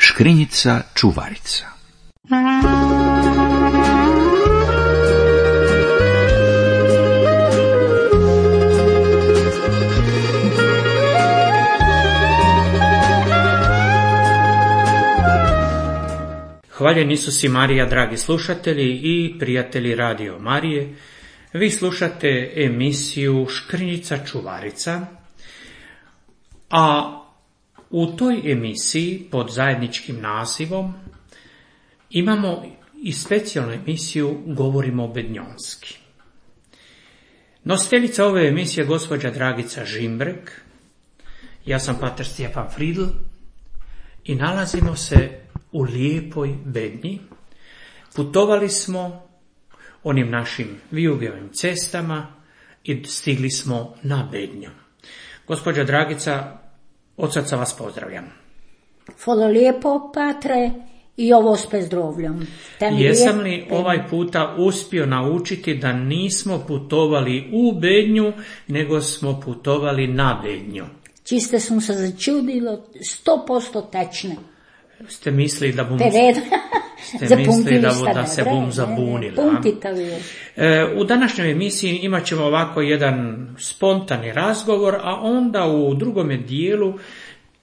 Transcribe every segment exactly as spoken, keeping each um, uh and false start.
Škrinjica čuvarica. Hvaljen Isus i Marija, dragi slušatelji i prijatelji Radio Marije. Vi slušate emisiju Škrinjica čuvarica, a u toj emisiji pod zajedničkim nazivom imamo i specijalnu emisiju Govorimo bednjonski. Nositeljica ove emisije je gospođa Dragica Žimbrek, ja sam pater Stjepan Fridl i nalazimo se u lijepoj Bednji. Putovali smo onim našim vijugavim cestama i stigli smo na Bednju. Gospođa Dragica, od srca vas pozdravljam. Hvala lijepo, patre, i ovo s pozdravljam. Jesam li ovaj puta uspio naučiti da nismo putovali u Bednju, nego smo putovali na Bednju? Čiste sam se začudilo, sto posto tečne. Ste mislili da bom... Ste mislili da, da se bom zabunila. E, u današnjoj emisiji imat ćemo ovako jedan spontani razgovor, a onda u drugome dijelu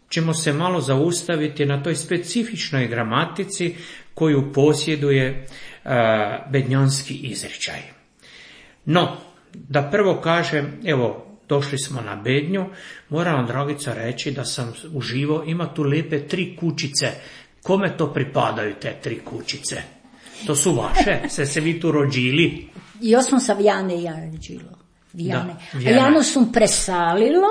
ćemo se malo zaustaviti na toj specifičnoj gramatici koju posjeduje e, bednjonski izričaj. No, da prvo kažem, evo, došli smo na Bednju, moram vam, Dragica, reći da sam uživao, ima tu lijepe tri kućice. Kome to pripadaju te tri kućice? To su vaše? Se se vi tu rođili? Ja sam sa Vjane i ja rođilo. Vjane. Da, a Jano sam presalilo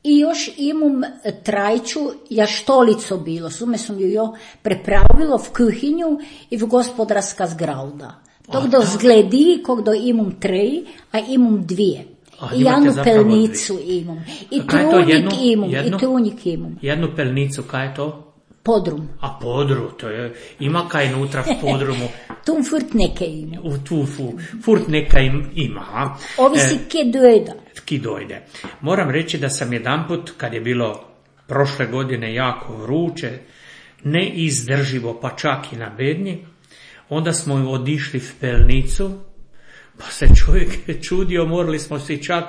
i još imam trajču jaštolico bilo. Sume sam ju jo prepravilo v kuhinju i v gospodarska zgrauda. Tok do zgledi, kog do imam tri, a imam dvije. A, I jednu pelnicu imam. I trunjik imam. Jednu, I trunjik imam. Jednu pelnicu, kaj je to? Podrum. A podru, to je, ima kaj nutra v podrumu? Tu furt neke ima. U tu fu, furt neka im, ima. A? Ovisi e, kje dojde. Ki dojde. Moram reći da sam jedanput, kad je bilo prošle godine jako vruće, neizdrživo, pa čak i na Bednji, onda smo odišli v pelnicu, pa se čovjek čudio, morali smo si čak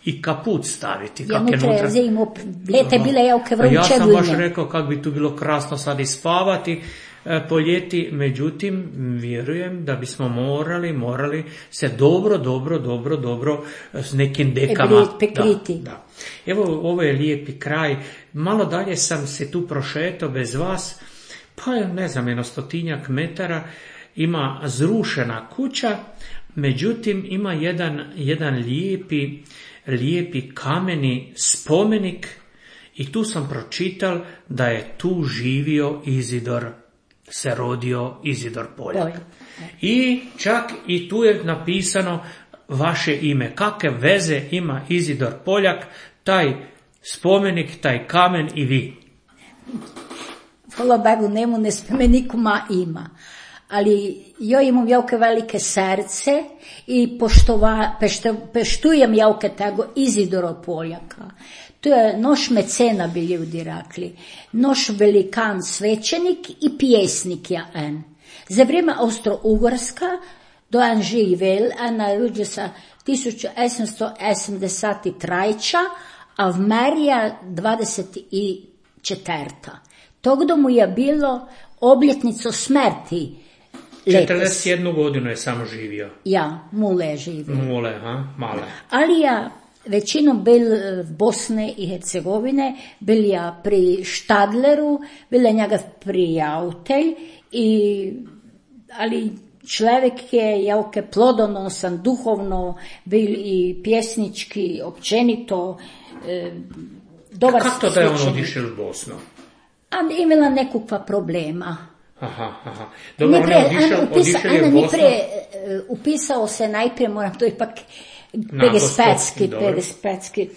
i kaput staviti. Ja nutra zimu, lete bile jauke vruće. Ja sam baš rekao kako bi tu bilo krasno sad i spavati e, po ljeti, međutim vjerujem da bismo morali, morali se dobro, dobro, dobro, dobro s nekim dekama. Pekriti. Da, da. Evo, ovo je lijepi kraj. Malo dalje sam se tu prošetao bez vas, pa ne znam, jedno stotinjak metara, ima zrušena kuća, međutim ima jedan, jedan lijepi lijepi kameni spomenik i tu sam pročital da je tu živio Izidor, se rodio Izidor Poljak. I čak i tu je napisano vaše ime. Kakve veze ima Izidor Poljak, taj spomenik, taj kamen i vi? Hvala Bogu, nemu ne spomeniku ma ima. Ali jo imam jauke velike srce i poštova, pešto, peštujem jauke tego Izidora Poljaka. To je noš mecena, bi ljudi rekli. Noš velikan svećenik i pjesnik ja en. Za vrijeme Austro-Ugorska do en živel, en narodio sa tisoč osemsto osemdeset tri, a v Merija dvadeset četvrta. Togdo mu je bilo obljetnico smrti. četrdeset jednu godinu je samo živio. Ja, mule je živio. Mule, ha, male. Ali ja većinom bil v Bosne i Hercegovine, bil ja pri Štadleru, bil je njega prijatelj, i, ali človek je jauke plodonosan, duhovno, bil i pjesnički, općenito, e, dobar svećenik. Kako to da je on odišel u Bosnu? A imala nekakva problema. Aha, aha. Dobro, on je odišao, odišao je u Bosnu. Uh, upisao se najprije, moram to ipak pedespetski, pedespetski.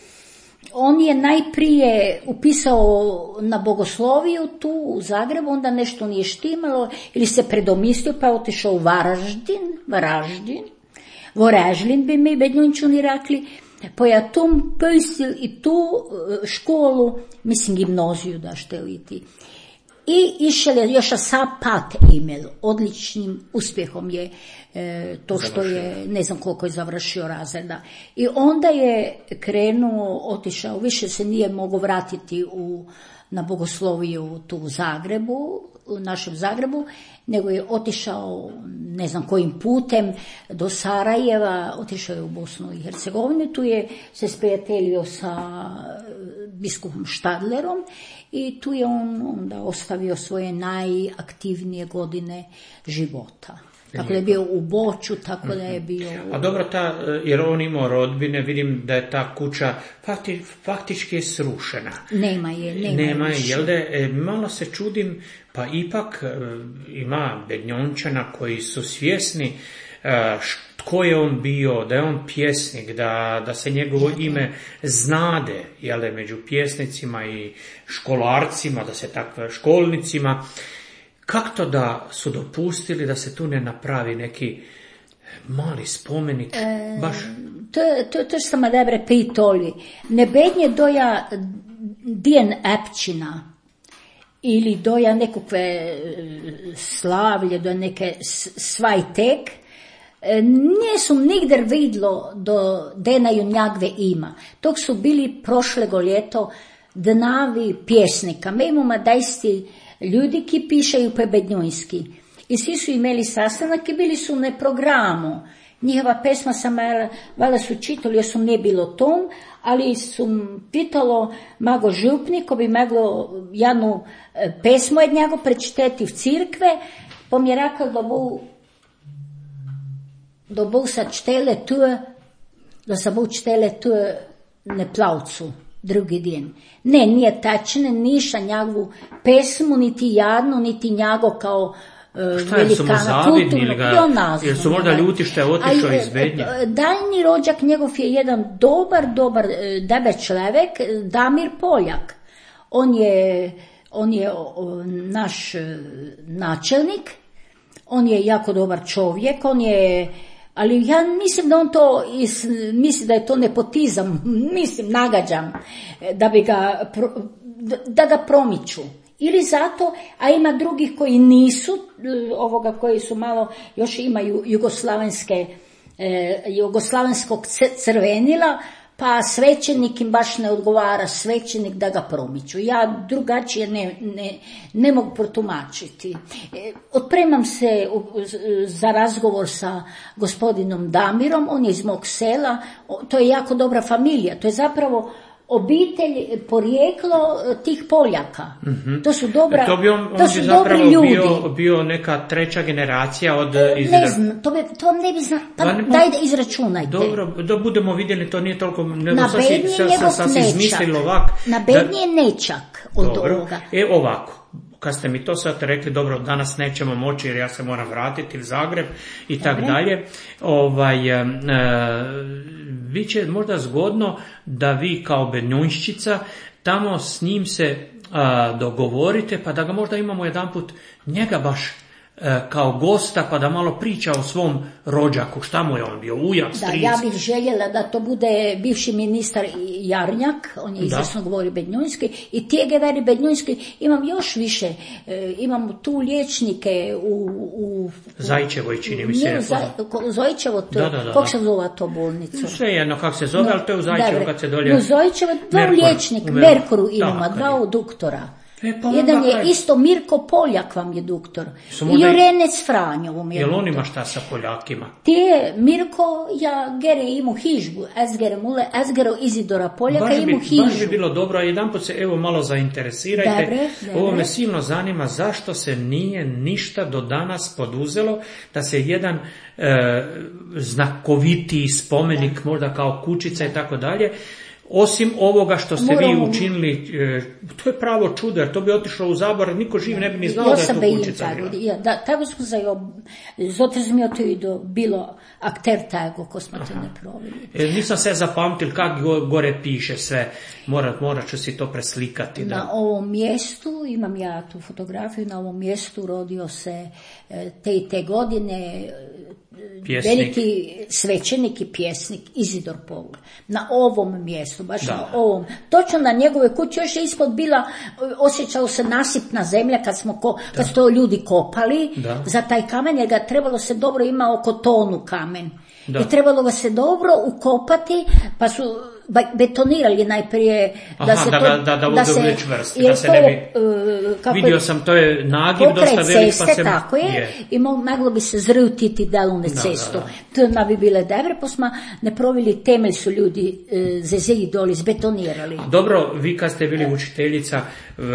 On je najprije upisao na bogosloviju tu u Zagrebu, onda nešto nije štimalo ili se predomislio pa je otišao u Varaždin, Varaždin, Voražlin bi mi bednjončuni rekli, pa ja tom pojstil i tu školu, mislim gimnaziju da šteliti. I išel je još sa pat email, odličnim uspjehom je e, to što završio. Je, ne znam koliko je završio razreda. I onda je krenuo, otišao, više se nije mogao vratiti u, na bogosloviju tu u Zagrebu, u našem Zagrebu, nego je otišao, ne znam kojim putem, do Sarajeva, otišao je u Bosnu i Hercegovinu, tu je se sprijateljio sa biskupom Štadlerom i tu je on onda ostavio svoje najaktivnije godine života. Tako da je bio u Boću, tako da je bio... A dobro, ta, jer on imao rodbine, vidim da je ta kuća fakti, faktički je srušena. Nema je, nema, nema je. je Jel da, e, malo se čudim, pa ipak e, ima Bednjončana koji su svjesni e, tko je on bio, da je on pjesnik, da, da se njegovo ime znade, jel da, među pjesnicima i školarcima, da se takve školnicima. Kako to da su dopustili da se tu ne napravi neki mali spomenik? E, baš... To, to, to što me dobre pitoli. Ne bednje doja dijen epčina ili doja nekakve slavlje, do neke svajtek, nisu nigder vidlo do denaju njagve ima. Tok su bili prošlego ljeto dnavi pjesnika. Me imamo dajsti ljudi ki pišaju po bednjunski. I svi su imeli sastanak i bili su na programu. Njihova pesma sam, valjda su čitali, jer su ne bilo tom, ali su pitalo mago župnik, ko bi moglo jednu pesmu od njega prečitati v cirkve, pa mi je rekao da bo, da bo sa čtele tu, da sa bo čtele tu na plavcu. Drugi dan. Ne, nije tačno, niša njagovu pesmu, niti jadnu, niti njago kao uh, velikana kulturno. Jer su možda ljuti što je otišao iz Bednje? Daljni rođak njegov je jedan dobar, dobar debe čovjek, Damir Poljak. On je, on je o, naš načelnik, on je jako dobar čovjek, on je... Ali ja mislim da on to, mislim da je to nepotizam, mislim, nagađam, da bi ga, da ga promiču. Ili zato, a ima drugih koji nisu, ovoga koji su malo, još imaju jugoslavenske, eh, jugoslavenskog crvenila, pa svećenik im baš ne odgovara, svećenik da ga promiču. Ja drugačije ne, ne, ne mogu protumačiti. E, otpremam se u, za razgovor sa gospodinom Damirom, on je iz mog sela, o, to je jako dobra familija, to je zapravo obitelj, porijeklo tih Poljaka. Mm-hmm. To su dobra, to bi on, to on su bi dobri ljudi. Bio, bio neka treća generacija od... Izra... Ne znam, to, bi, to ne bi zna... Pa ne, daj da izračunajte. Dobro, da budemo vidjeli, to nije toliko... Na Bednji je njegov nečak. Na Bednji je nečak od dobro. Ovoga. E ovako. Kad ste mi to sad rekli, dobro, danas nećemo moći jer ja se moram vratiti u Zagreb i tak dalje, ovaj, e, vi će možda zgodno da vi kao Bednjunščica tamo s njim se a, dogovorite, pa da ga možda imamo jedanput njega baš kao gosta, pa da malo priča o svom rođaku, šta mu je on bio, ujak, stric. Da, ja bih željela da to bude bivši ministar Jarnjak, on je izvrsno govori bednjunski, i tijege veri bednjunski, imam još više, e, imam tu liječnike u... u Zajčevoj, čini mi se. U Zajčevo, to, da, da, da, kako se zove to bolnicu? Sve jedno kako se zove, no, ali to je u Zajčevu kad se dolje... U Zajčevo dva liječnika, Merkuru imamo, dva doktora. E, pa jedan je kaj... isto Mirko Poljak vam je doktor. I Jorenec Franjo vam je Jel doktor. on ima šta sa Poljakima? Ti je Mirko, ja gere imu hižbu, ezgere mule, ezgero Izidora Poljaka baš imu bi, hižbu. Baš bi bilo dobro, a jedan put se evo malo zainteresirajte. Dobre, dobre. Ovo me silno zanima zašto se nije ništa do danas poduzelo da se jedan e, znakovitiji spomenik, da. Možda kao kućica i tako dalje, osim ovoga što ste Moramo... vi učinili, e, to je pravo čudo, jer to bi otišlo u zaborav, niko živ ne bi ni znao ja da je to kućica bila. Ja, da, tako smo za jo, zato smo to i do bilo akter tego ko smo to ne provili. E, nisam se zapamtil kak go, gore piše sve, morat, morat ću si to preslikati. Da. Na ovom mjestu, imam ja tu fotografiju, na ovom mjestu rodio se te i te godine Pjesnik. veliki svećenik i pjesnik Izidor Pogla. Na ovom mjestu, baš Da. na ovom. Točno na njegove kući, još je ispod bila, osjećao se nasipna zemlja kad smo ko, kad su to ljudi kopali. Da. Za taj kamen, jer ga trebalo se dobro, ima oko tonu kamen. Da. I trebalo ga se dobro ukopati, pa su betonirali najprije da Aha, se da to, ga- da- da bude se, čvrst, jer da se to ne je, bi- uh, kako je- Vidio sam, to je nagib pokraj dosta velik, pa ceste, se... tako je, i mo- moglo bi se zrutiti delovne Da, cestu. da, To ne bi bile dobre, pa smo ne provili temelj, su ljudi e, zeziji doli zbetonirali. Dobro, vi kad ste bili učiteljica v,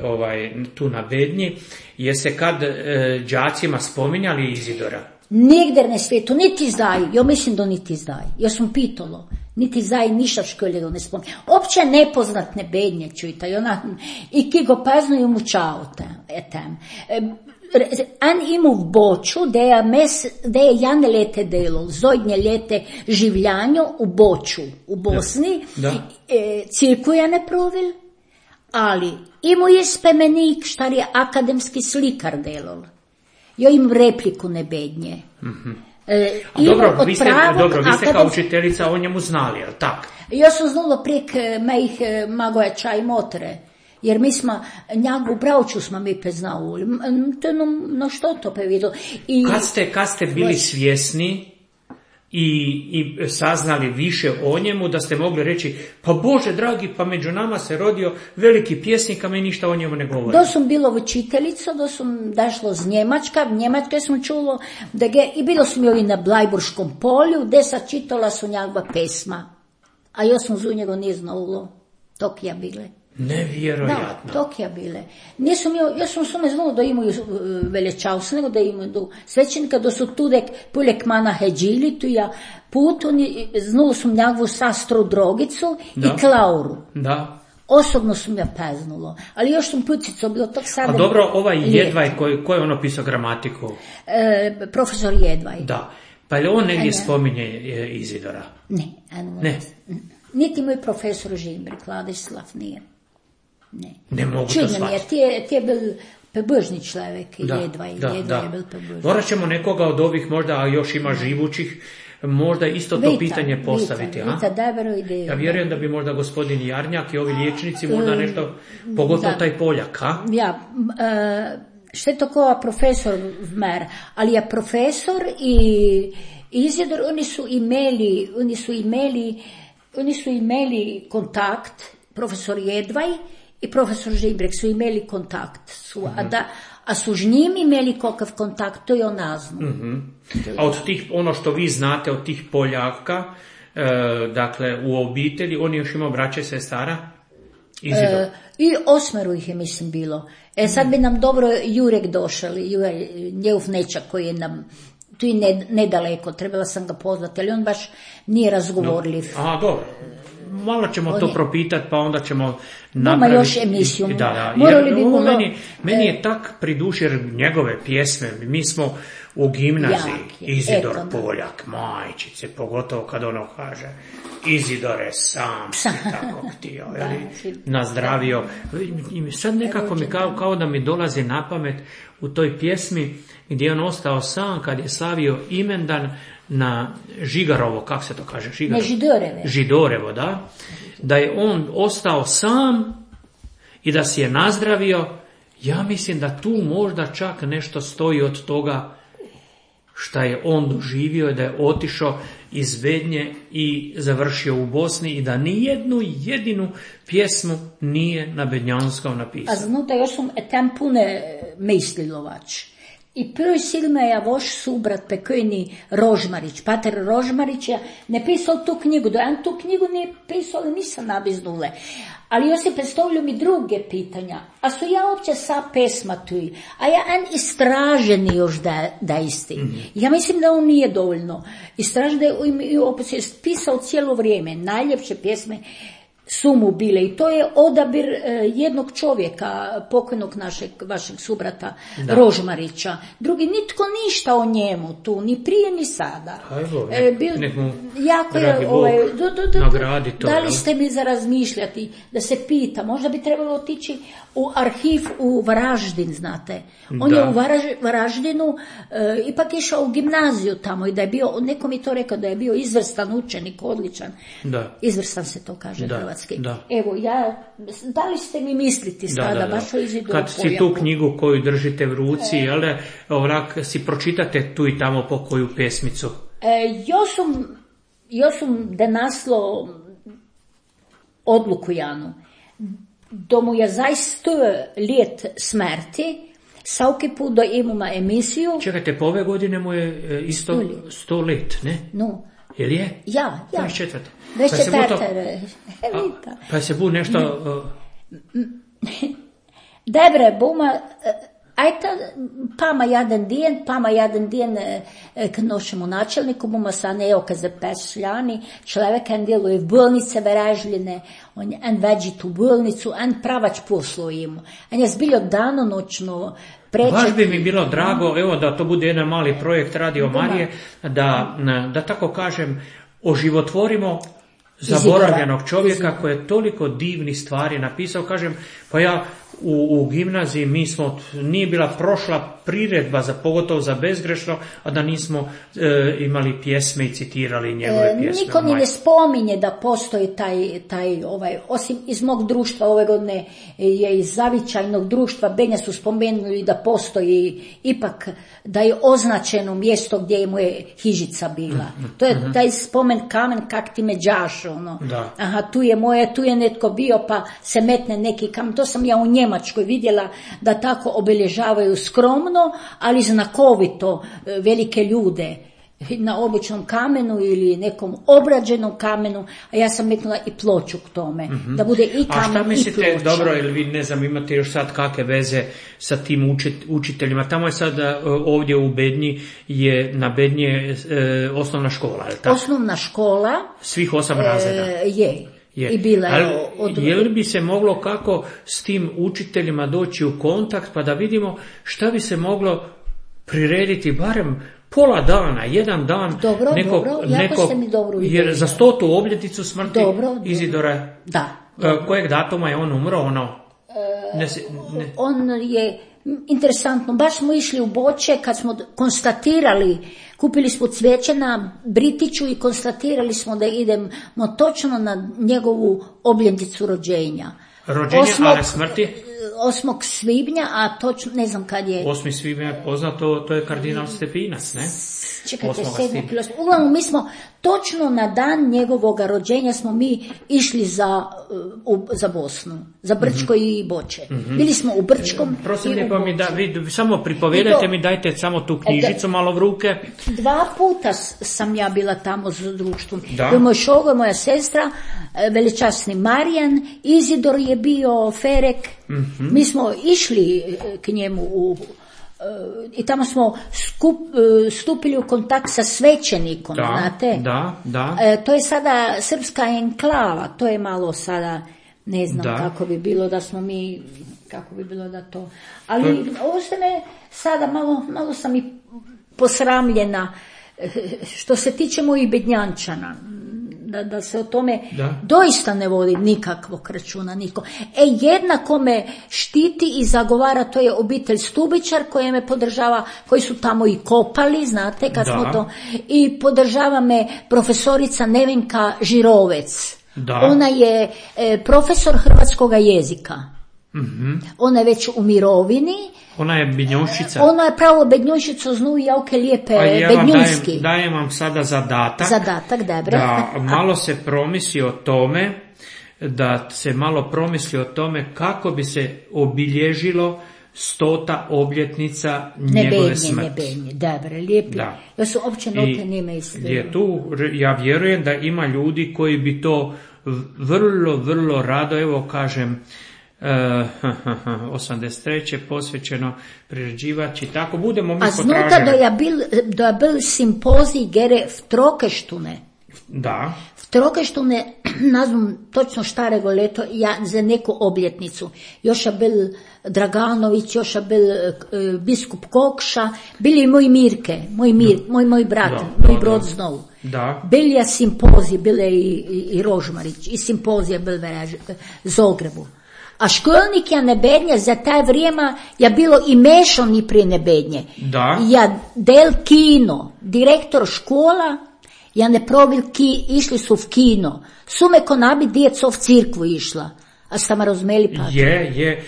ovaj, tu na Bednji, je se kad e, đacima spominjali Izidora? Nigdje na svijetu, niti zdaj, ja mislim da niti zdaj. Ja sam pitalo, niti zdaj ništa v školi da ne spominja. Opće nepoznatne Bednje, čujte, i ona, i ki go paznuju mučao tem. En imel v Boču, da je, mes, da je Jane lete delal, zodnje lete življanju v Boču, v Bosni, Da. e, cirku je ne provil, ali imel je spomenik, štar je akademski slikar delal. Jo im repliku ne Bednje. Mm-hmm. E, A dobro, vi ste, pravog dobro, vi ste kao akademsk- učiteljica o njemu znali, jel tak? Ja sam znala prek e, mojih e, magojača i motre, jer mi smo, njagu bravču smo mi peznavuli, M- m- to no, no što to pe vidio. I Kad ste, kad ste bili svjesni i, i saznali više o njemu, da ste mogli reći, pa Bože dragi, pa među nama se rodio veliki pjesnik, a mi ništa o njemu ne govori. da sam bilo učiteljica, da sam dašlo z Njemačka, v Njemačke sam čulo, da ge, i bilo sam joj na Blajburškom polju, gdje sam čitala su njegova pesma, a ja sam zu njega nije znalo, tok ja bile. Nevjerojatno. Da, tok ja bile. Nisam jo, ja sam samo znala da imaju uh, velečavstvenego, da imaju svećenika, da su tudek puljek mana heđili, tu ja put, oni, znala sam njegovu sastru Drogicu Da. i Klauru. Da. Osobno sam ja peznula, ali još sam putico bilo tog sada. A dobro, ovaj lijepo. Jedvaj, koji, koji je on opisao gramatiku? E, profesor Jedvaj. Da. Pa je li on negdje ne. spominje e, Izidora? Ne, eno, Ne. niti moj profesor Žimbrik, Vladislav nije. Ne. Ne mogu to Čudno mi je, shvatiti. ti je, ti je bil pebužni človek, Da, Jedvaj, da, Jedvaj da. je bil pebužni. Morat ćemo nekoga od ovih, možda a još ima živućih, možda isto to Vita, pitanje postaviti. Vita, a? Vita, dobro ideju. Ja vjerujem da bi možda gospodin Jarnjak i ovi liječnici možda nešto, pogotovo da. taj Poljak, a? Ja, e, što je tako profesor mer, ali je profesor i Izidor, oni su imeli, oni su imeli, oni su imeli kontakt, profesor Jedvaj i profesor Žibrek su imeli kontakt, su, a, da, a su s njim imeli kakav kontakt, to je ona zna. A od tih, ono što vi znate od tih Poljaka, e, dakle u obitelji, oni još imaju braće, sestara? Izidor. E, I osmeru ih je, mislim, bilo. E, sad bi nam dobro Jurek došao, Jurek, njegov nečak koji je nam tu i ne, nedaleko, trebala sam ga pozvati, ali on baš nije razgovorljiv. A, dobro. Malo ćemo On to je- propitati, pa onda ćemo Ima napraviti... još emisiju. Da, da. Morali Jer bi ovo malo- meni, meni je tak pri duši, jer njegove pjesme, mi smo u gimnaziji, Jak je, Izidor eto, da. Poljak, majčice, pogotovo kad ono kaže, Izidore, sam si tako htio, jeli, nazdravio. I sad nekako mi kao, kao da mi dolazi na pamet u toj pjesmi gdje je on ostao sam kad je slavio imendan na Žigarovo, kako se to kaže? Žigarovo. Ne, Židoreve. Židorevo, da. Da je on ostao sam i da si je nazdravio. Ja mislim da tu možda čak nešto stoji od toga šta je on doživio i da je otišao iz Bednje i završio u Bosni i da ni jednu jedinu pjesmu nije na bednjanskom A napisao. znutra još sam tam pune mislilovač. I prvi silme je voš subrat pekojni Rožmarić, pater Rožmarić je ne pisao tu knjigu, da on tu knjigu nije pisao, ali nisam nabiznule. Ali još se predstavljaju mi druge pitanja, a su ja uopće sa pesma tu, a ja en istraženi još da, da isti. Mm-hmm. Ja mislim da on nije dovoljno. Istražen da je opet pisao cijelo vrijeme, najljepše pjesme su mu bile i to je odabir e, jednog čovjeka, pokojnog našeg, vašeg subrata da. Rožmarića. Drugi, nitko ništa o njemu tu, ni prije ni sada. Ajmo, nek, e, bil, nek mu, jako je, ovaj, do, do, do, nagradi to. Da li ste mi za razmišljati, da se pita, možda bi trebalo otići u arhiv u Varaždin, znate. On da. je u Varaž, Varaždinu e, ipak išao u gimnaziju tamo i da je bio, neko mi to rekao, da je bio izvrstan učenik, odličan. Da. Izvrstan se to kaže da. Hrvatski. Da. Evo, ja, da li ste mi misliti sada, da, da, baš o Izidoru Kad si tu knjigu koju držite v ruci, e, jel, ovak, si pročitate tu i tamo po koju pesmicu? E, jo sam, jo sam denaslo odluku Janu. Da mu je zaista let smrti, svaki put da imamo emisiju. Čekajte, po ove godine mu je isto sto let, ne? No. Jel je? Ja, ja. dvadeset četvrte. dvadeset četvrte. Pa, pa se bu nešto... Uh... Dobre, buma... Ajta, pama jedan dijen, pama jedan dijen k našemu načelniku, buma sa nejo ka zapešljani, človek en djeluje v bolnice Verežljine, on en veđi tu bolnicu, en pravač poslu imu. En je zbiljo danonočno preček. Baš bi mi bilo drago, evo da to bude jedan mali projekt Radio Marije, da, da tako kažem, oživotvorimo zaboravljenog čovjeka koji je toliko divnih stvari napisao. Kažem, pa ja u, u gimnaziji mi smo, nije bila prošla priredba za, pogotovo za bezgrešno, a da nismo e, imali pjesme i citirali njegove e, pjesme. Niko ni ne spominje da postoji taj, taj ovaj, osim iz mog društva ove godine je iz zavičajnog društva, Benja su spomenuli da postoji ipak, da je označeno mjesto gdje mu je hižica bila. To je uh-huh. taj spomen kamen kak ti me đaš, ono. Da. Aha, tu je moje, tu je netko bio pa se metne neki kamen. To sam ja u Njemačkoj vidjela da tako obilježavaju skromno, ali znakovito velike ljude na običnom kamenu ili nekom obrađenom kamenu, a ja sam metnula i ploču k tome, mm-hmm. da bude i kamen i ploča. A šta mislite, dobro, ili vi ne znam, imate još sad kakve veze sa tim učit, učiteljima? Tamo je sad ovdje u Bednji, je na Bednji je, e, osnovna škola, je li tako? Osnovna škola. Svih osam e, razreda. Je. Je. I bila je, od... je li bi se moglo kako s tim učiteljima doći u kontakt pa da vidimo šta bi se moglo prirediti barem pola dana, jedan dan dobro, nekog, dobro, nekog, ste mi dobro ideju. Jer za stotu obljetnicu smrti dobro, Izidora, da, dobro. Kojeg datuma je on umro, ono? E, ne, ne. On je, interesantno, baš smo išli u Boče kad smo konstatirali, kupili smo cvijeće na Britiću i konstatirali smo da idemo točno na njegovu obljetnicu rođenja. Rođenja, osmog, ali smrti? osmog svibnja, a točno, ne znam kad je... osmi svibnja je poznato, to je kardinal Stepinac, ne? Čekajte, sedmog kilo. Uglavnom, mi smo točno na dan njegovog rođenja smo mi išli za, u, za Bosnu, za Brčko mm-hmm. i Boče. Mm-hmm. Bili smo u Brčkom Prosim, i u pa mi da, vi samo pripovedajte mi, dajte samo tu knjižicu malo v ruke. Dva puta sam ja bila tamo s društvom. Da. Moj šogo, moja sestra, veličasni Marijan, Izidor je bio, Ferek. Mm-hmm. Mi smo išli k njemu u i tamo smo skup, stupili u kontakt sa svećenikom, da, znate? Da, da. E, to je sada srpska enklava, to je malo sada, ne znam da. Kako bi bilo da smo mi, kako bi bilo da to... Ali to... ovo se me sada malo, malo sam i posramljena što se tiče mojih Bednjančana. Da, da se o tome da. Doista ne vodi nikakvog računa niko. E, jednako me štiti i zagovara, to je obitelj Stubičar koja me podržava, koji su tamo i kopali, znate, kad da. Smo to, i podržava me profesorica Nevenka Žirovec. Da. Ona je e, profesor hrvatskog jezika. Mm-hmm. Ona je već u mirovini. Ona je Bednjušica. Ona je pravo Bednjušica, znu javke lijepe ja Bednjunski. Dajem, dajem vam sada zadatak. Zadatak, dobro. Da malo se promisli o tome, da se malo promisli o tome kako bi se obilježilo stota obljetnica njegove benje, smrti. Ne benje, dobro, lijepi. Da. Ja su opće note nime islije. Je tu, ja vjerujem da ima ljudi koji bi to vrlo, vrlo rado, evo kažem, Uh, osamdeset treće posvećeno priređivač i tako budemo mi potražili. A znuta da je bil, da je bil simpozij gere v Trokeštune. Da. V Trokeštune ne znam točno štarego leto, ja za neku obljetnicu. Još je bil Draganović, još je bil uh, biskup Kokša, bili i moj Mirke, moj, Mir, da. moj, moj brat, da, moj da, brod da. Znovu. Da. Bil je simpozij, bile i, i, i Rožmarić, i simpozija bil v Zagrebu. A školnik ne bednje za taj vrijeme je bilo i mešani prije nebednje. Da. Ja del kino, direktor škola, ja ne provil ki, išli su v kino. Sume ko nabi djeco v cirkvu išla. A ste me razumeli pa? Je, je.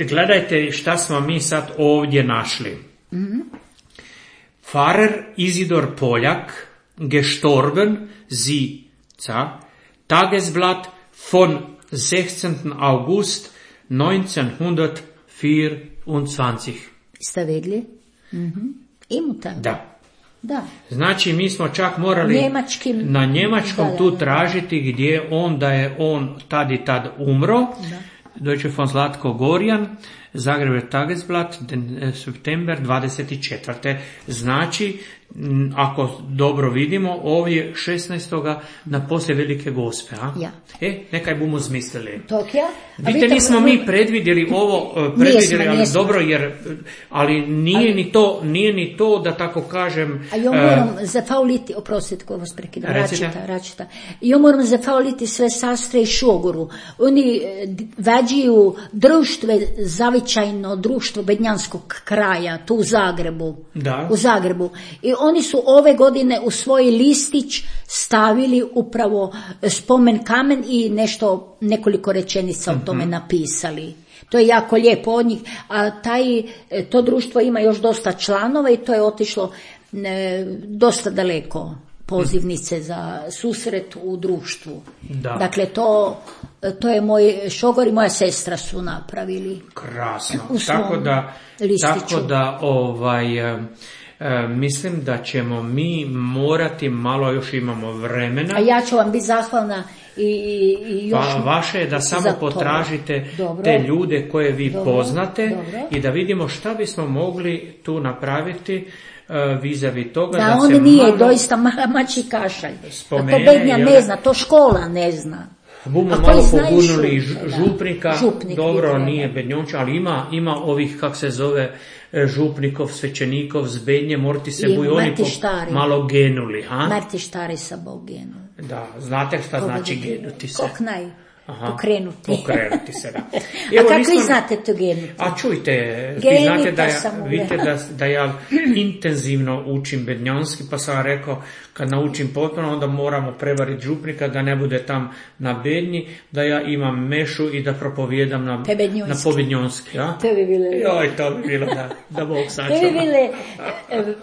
Gledajte šta smo mi sad ovdje našli. Mm-hmm. Pfarrer Isidor Poljak, gestorben sie, Tagesblatt von sechzehnten August neunzehnhundertvierundzwanzig. Ste vidjeli? Mm-hmm. Imu tako. Da. Da. Znači mi smo čak morali Njemačkim, na njemačkom da, tu da, tražiti gdje on, da je on tad i tad umro. Da. Deutsche von Zlatko Gorjan, Zagreb Tagesblatt, september dvadeset četvrte. Znači, ako dobro vidimo, ovdje šesnaestog na poslije Velike Gospe. A? Ja. E, nekaj bomo zmislili. Tokija? Vidite, nismo mi predvidjeli ovo, predvidjeli, nismo, ali nismo. Dobro, jer, ali nije, ali ni to, nije ni to, da tako kažem... A jo moram uh, zafauliti, oprostite ko vas prekidam, račita, račita. Jo moram zafauliti sve sastre i šogoru. Oni vađiju društve, zavičajno društvo bednjanskog kraja, tu u Zagrebu. Da. U Zagrebu. I oni su ove godine u svoj listić stavili upravo spomen kamen i nešto, nekoliko rečenica o tome napisali. To je jako lijepo od njih, a taj, to društvo ima još dosta članova i to je otišlo ne, dosta daleko, pozivnice za susret u društvu. Da. Dakle, to, to je moj šogor i moja sestra su napravili. Krasno. Tako da, tako da ovaj... E, mislim da ćemo mi morati, malo još imamo vremena. A ja ću vam biti zahvalna i, i još... Pa vaše je da samo potražite dobro, te ljude koje vi dobro, poznate dobro. I da vidimo šta bismo mogli tu napraviti uh, vis-a-vis toga. Da, da on se nije malo doista mači kašalj. Spomene, to bednja ne zna, to škola ne zna. Bumo malo pobunili župnika, Župnik, dobro nije bednjonč, ali ima, ima ovih, kak se zove, župnikov, svećenikov z bednje, morati se buj oni malo genuli. Ha? Marti štari sa Bog genuli. Da, znate šta Koga znači genuti se? Kok naj? Aha, pokrenuti. Pokrenuti se, da. Evo, a kako nisam... vi znate to genuti? A čujte, vi znate da ja, vidite da, da ja intenzivno učim bednjanski, pa sam rekao, kad naučim potpuno, onda moramo prevariti župnika, da ne bude tam na bednji, da ja imam mešu i da propovijedam na, na pobednjonski. Ja? To bi bilo... Joj, to bi bilo, da, da Bog sačuva. To bi bile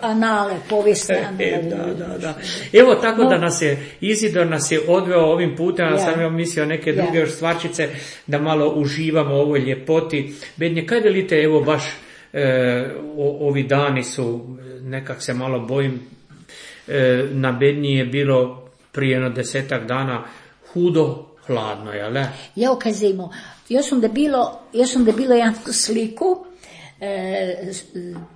anale, povijesne anale. E, da, da, da. Evo, tako no. da nas je, Izidor nas je odveo ovim putem, ja sam ja mislio neke druge još stvarčice, da malo uživamo u ovoj ljepoti. Bednje, kaj velite, evo baš e, o, ovi dani su, nekak se malo bojim, e, na Bednji je bilo prije jedno desetak dana hudo hladno, jel ne? Ja okazimo, još sam da bilo, još sam da bilo jednu sliku, e,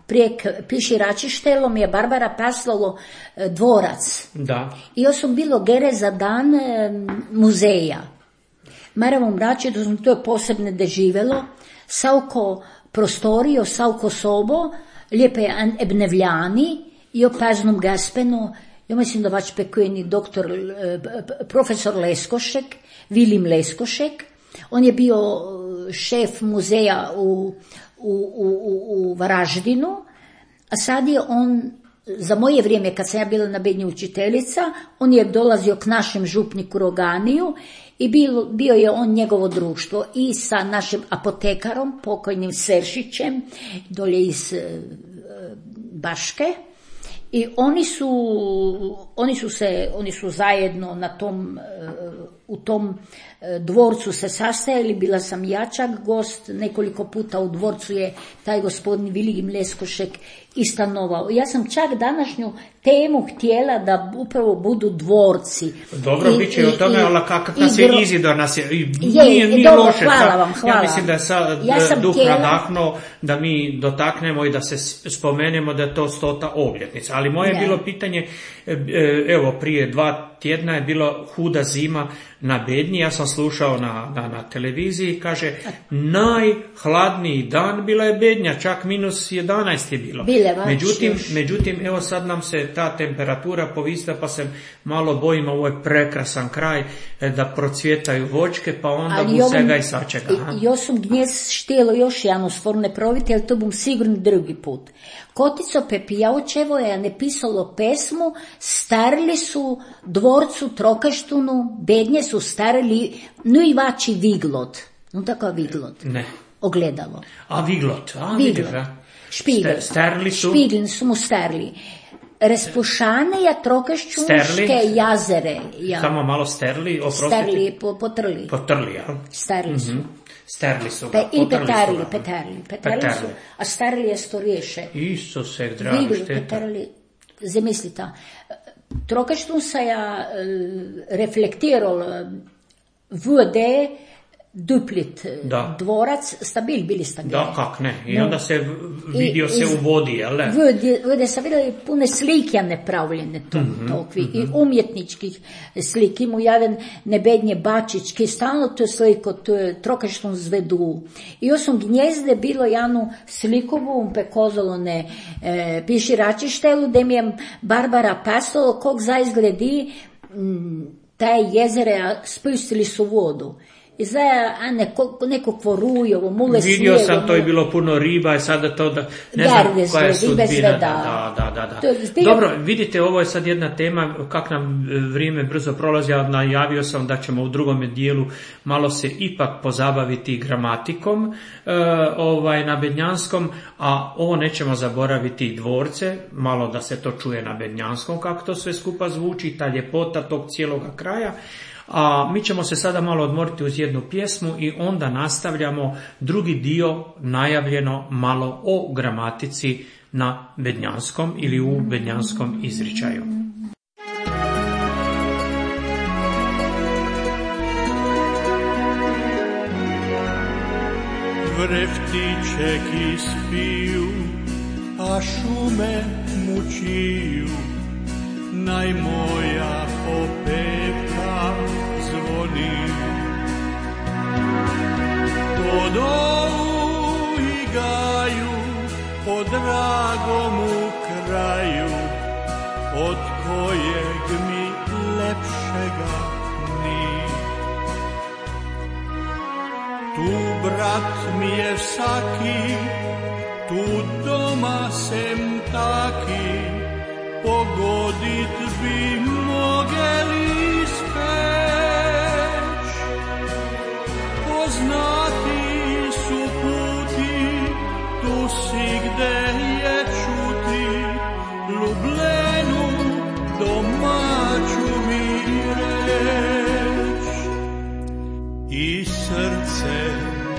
prijek piši Račištelom je Barbara paslalo e, dvorac. Da. I još sam bilo gere za dan e, muzeja. Maravom rači, da to je posebne da živelo, savko prostorio, savko sobo, lijepe ebnevljani i o paznom gaspenu, ja mislim da vač pekujeni doktor, profesor Leskošek, Vilim Leskošek, on je bio šef muzeja u, u, u, u Varaždinu, a sad je on, za moje vrijeme kad sam ja bila na Bednji učiteljica, on je dolazio k našem župniku Roganiju i bio, bio je on njegovo društvo i sa našim apotekarom, pokojnim Seršićem, dolje iz e, Baške. I oni su, oni su se, oni su zajedno na tom, u tom dvorcu se sastajali, bila sam jačak gost, nekoliko puta u dvorcu je taj gospodin Vilim Leskošek i stanovao. Ja sam čak današnju temu htjela da upravo budu dvorci. Dobro, bit će o tome, ali kakav nas je Izidor, nas je, je nije, nije dobro, loše. Hvala vam, hvala. Ja mislim da je sad ja duh htjela... nadahnuo da mi dotaknemo i da se spomenemo da je to stota obljetnica. Ali moje je bilo pitanje, evo, prije dva tjedna je bilo huda zima na Bednji, ja sam slušao na, na, na televiziji, kaže najhladniji dan bila je Bednja, čak minus jedanaest je bilo. Međutim, međutim, evo sad nam se ta temperatura povisla, pa se malo bojimo, ovo je prekrasan kraj, da procvjetaju voćke, pa onda bu svega i sačega. Jo sam gnjez štijelo još jednu stvar ne proviti, ali to bom sigurno drugi put. Kotico Pepijaučevo je napisalo pesmu, starili su dvorcu Trokaštunu, Bednje su starili, no i vači Viglot. No tako Viglot. Ne. Ogledalo. A Viglot. A, Viglot. Špigl. Starili su? Špigl su mu starili. Respušane ja Trokaščunske jazere. Ja. Samo malo sterli, oprostite. Sterli, po, potrli. Potrli, ja. Starili su. Mm-hmm. Sterli su ga, Pe, I potrli petarli, su ga. petarli, petarli, petarli su, a starili je storiješe. Isuse, drago, Vigli, šteta. petarli, zamislite, Trokaštun se ja reflektiral vode, duplit da. Dvorac, stabil, bili stabilni. Da, kak ne. I no. onda se vidio I, se iz, u vodi, jel ne? Vode, vode se vidjeli pune slike nepravljene to, mm-hmm, tokvi, mm-hmm. i umjetničkih slike. Imu jedan Nebednje Bačić, ki stalno to sliko, to je Trokaštun zvedu. I osim gnjezde bilo janu slikovu, pekozolo ne e, piši račištelu, da mi je Barbara pasalo, kog zaizgledi m, taj jezere spustili su vodu. I zaja, a neko, neko kvorujovo, mule slijevo. Vidio sam, mule... to je bilo puno riba i sada to da, ne znam Garde koja je sudbina. Sve, da, da, da, da, da. Zbilja... Dobro, vidite, ovo je sad jedna tema, kak nam vrijeme brzo prolazi, ja najavio sam da ćemo u drugom dijelu malo se ipak pozabaviti gramatikom e, ovaj, na bednjanskom, a ovo nećemo zaboraviti dvorce, malo da se to čuje na bednjanskom, kako to sve skupa zvuči, ta ljepota tog cijeloga kraja. A mi ćemo se sada malo odmoriti uz jednu pjesmu i onda nastavljamo drugi dio najavljeno malo o gramatici na bednjanskom ili u bednjanskom izričaju. Vreftičeki spiju, a šume mučiju, najmoja opevka zvoni. Po dolu i gaju, po dragomu kraju, od kojeg mi lepšega ni. Tu brat mi je vsaki, tu doma sem taki, pogodit bi mogeli speć. Poznati su puti, tu si gde je čuti, Lublenu domaću mi reć. I srce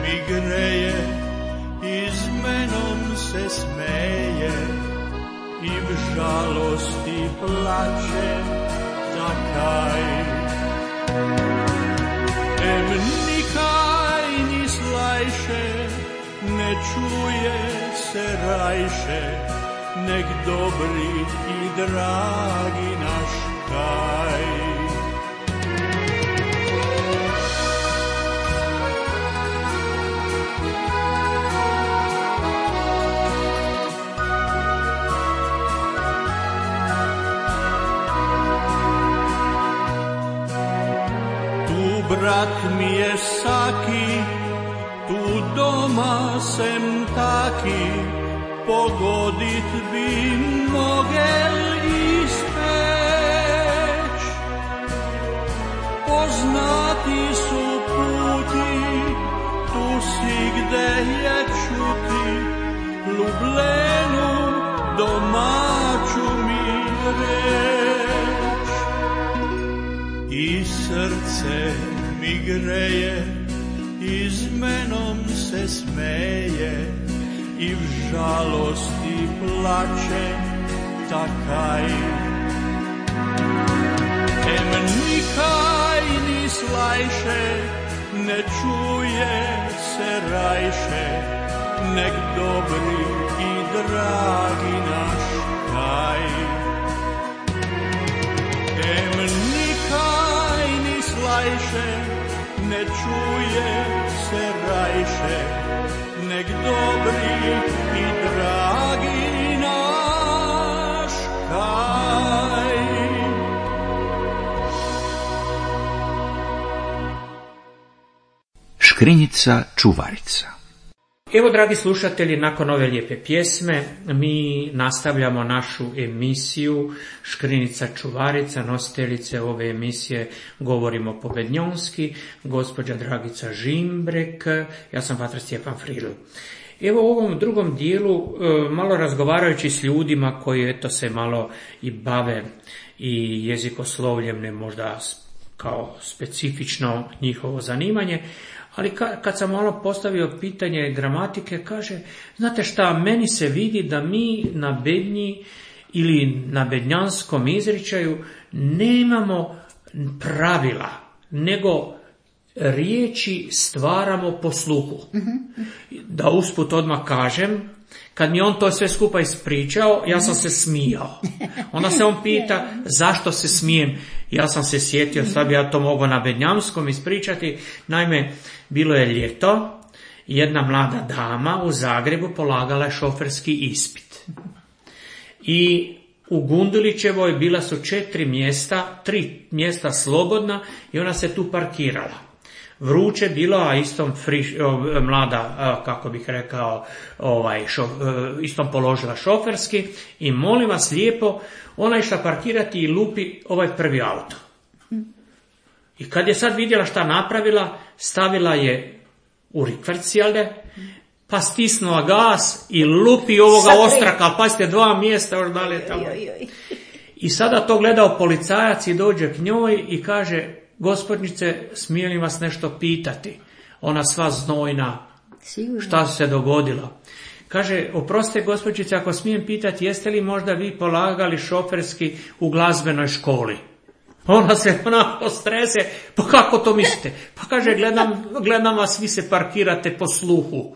mi greje, i s menom se smeje, i v žalosti plače takaj. Em nikaj ni slajše, ne čuje se rajše, nek dobri i dragi naš kaj. Brat mi je saki, tu doma sem taki, pogodit bi mogel ispeć. Poznati su puti, tu si gde je čuti, Lublenu domaću mi reč. I srce mi greje, i s menom se smeje, i v žalosti plače takaj. Em nikaj ni slajše, ne čuje se rajše, nek dobri i dragi naš kaj. Em nikaj ne čuje se rajše, nek dobri i dragi naš kaj. Škrinjica čuvarica. Evo, dragi slušatelji, nakon ove lijepe pjesme mi nastavljamo našu emisiju Škrinjica čuvarica. Nositeljice ove emisije govorimo pobednjonski, gospođa Dragica Žimbrek, ja sam patar Stjepan Fridl. Evo u ovom drugom dijelu, malo razgovarajući s ljudima koji eto se malo i bave i jezikoslovljem, ne možda kao specifično njihovo zanimanje, ali kad sam malo postavio pitanje gramatike, kaže, znate šta, meni se vidi da mi na bednji ili na bednjanskom izričaju nemamo pravila, nego riječi stvaramo po sluhu. Da usput odmah kažem, kad mi on to sve skupa ispričao, ja sam se smijao. Onda se on pita zašto se smijem. Ja sam se sjetio, sad bi ja to mogao na bednjamskom ispričati. Naime, bilo je ljeto, jedna mlada dama u Zagrebu polagala je šoferski ispit. I u Gundulićevoj bila su četiri mjesta, tri mjesta slobodna i ona se tu parkirala. Vruće bilo, a istom friš, mlada, kako bih rekao, ovaj, šo, istom položila šoferski i molim vas lijepo, ona je išla parkirati i lupi ovaj prvi auto. I kad je sad vidjela šta napravila, stavila je u rikverc, jel'de, pa stisnula gas i lupi ovoga ostraka, pa ste dva mjesta još dalje tamo. I sada to gledao policajac i dođe k njoj i kaže, gospodnice, smije li vas nešto pitati? Ona sva znojna, sigurno. Šta se dogodilo? Kaže, oprostite gospođice, ako smijem pitati, jeste li možda vi polagali šoferski u glazbenoj školi? Ona se onako strese, pa kako to mislite? Pa kaže, gledam, gledam vas, vi se parkirate po sluhu.